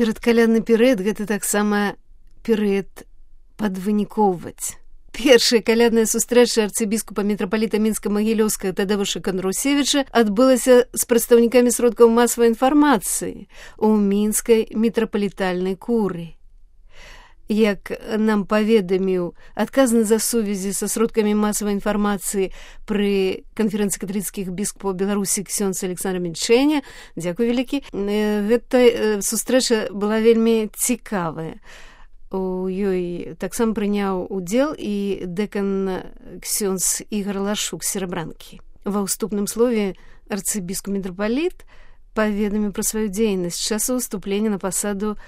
Перадкалядны перыяд гэта таксама перыяд падвынікоўваць. Першая калядная сустрэча арцыбіскупа мітрапаліта Мінска-Магілёўскага Тадеуша Кандрусевіча адбылася з прадстаўнікамі сродкаў масавай інфармацыі ў мінскай мітрапалітальнай курыі. Як нам паведаміў адказны за сувязі са сродкамі масавай інфармацыі пры канферэнцыі каталіцкіх біскупаў Беларусі ксёндз Александр Меньшеня, дзякуй вялікі, гэта сустрэча была вельмі цікавая. У ёй таксама прыняў удзел і дэкан ксёндз Ігар Лашук Серабранкі. Ва ўступным слове арцыбіскуп мітрапаліт паведаміў пра сваю дзейнасць з часу ўступлення на пасаду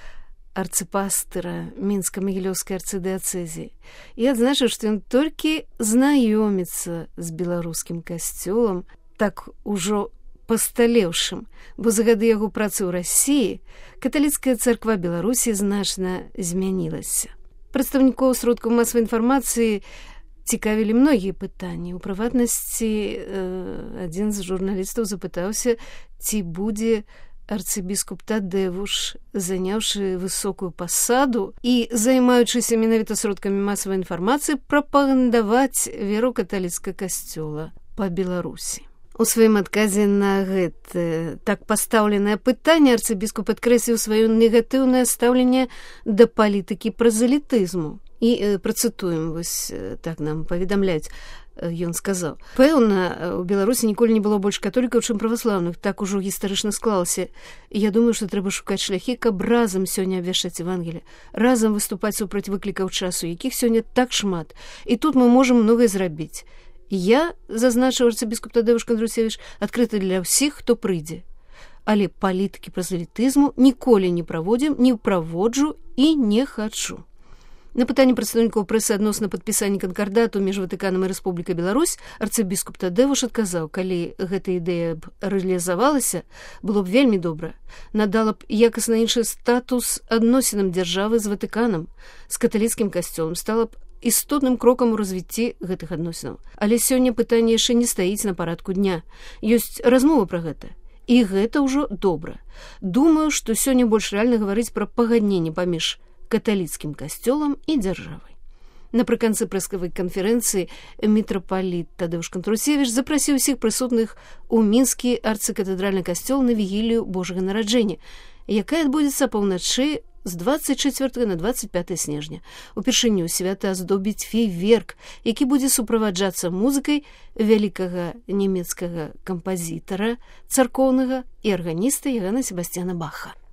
арцыпастыра Мінска-Магілёўскай арцыдыяцэзіі і адзначыў, што ён толькі знаёміцца з беларускім касцёлам, так ужо пасталеўшым, бо за гады яго працы ў Расіі каталіцкая царква Беларусі значна змянілася. Прадстаўнікоў сродкаў масавай інфармацыі цікавілі многія пытанні. У прыватнасці, адзін з журналістаў запытаўся, ці будзе арцыбіскуп Тадеуш, заняўшы высокую пасаду і займаючыся менавіта сродкамі масавай інфармацыі, прапагандаваць веру каталіцкага касцёла па Беларусі. У сваім адказе на гэта так пастаўленае пытанне арцыбіскуп падкрэсліў сваё негатыўнае стаўленне да палітыкі празелітызму. І працытуем, вось так нам паведамляюць, ён сказаў: «Пэўна, у Беларусі ніколі не было больш католікаў, чым праваслаўных, так ужо гістарычна склалася. Я думаю, што трэба шукаць шляхі, каб разам сёння абвяшчаць Евангелие, разам выступаць супраць выклікаў часу, якіх сёння так шмат. І тут мы можам многае зрабіць. Я, зазначыў арцыбіскуп Тадеуш Кандрусевіч, адкрыты для ўсіх, хто прыйдзе. Але палітыкі празелітызму ніколі не праводзім, не праводжу і не хачу». На пытанне прадстаўнікоў прэсы адносна падпісання канкардату між Ватыканам і Рэспублікай Беларусь арцыбіскуп Тадеуш адказаў: «Калі гэта ідэя б рэалізавалася, было б вельмі добра. Надала б якасна іншы статус адносінам дзяржавы з Ватыканам, з каталіцкім касцёлам, стала б істотным крокам у развіцці гэтых адносінаў. Але сёння пытанне яшчэ не стаіць на парадку дня. Ёсць размова пра гэта. І гэта ўжо добра. Думаю, што сёння больш рэальна гаварыць пра пагадненне паміж каталіцкім касцёлам і дзяржавай». Напрыканцы прэскавай канферэнцыі мітрапаліт Тадеуш Кандрусевіч запрасіў усіх прысутных у мінскі арцыкатэдральны касцёл на вігілію Божага нараджэння, якая адбудзецца паўначы з 24 на 25 снежня. Упершыню свята аздобіць фейверк, які будзе суправаджацца музыкай вялікага нямецкага кампазітара, царкоўнага і арганіста Яганна Себасцяна Баха.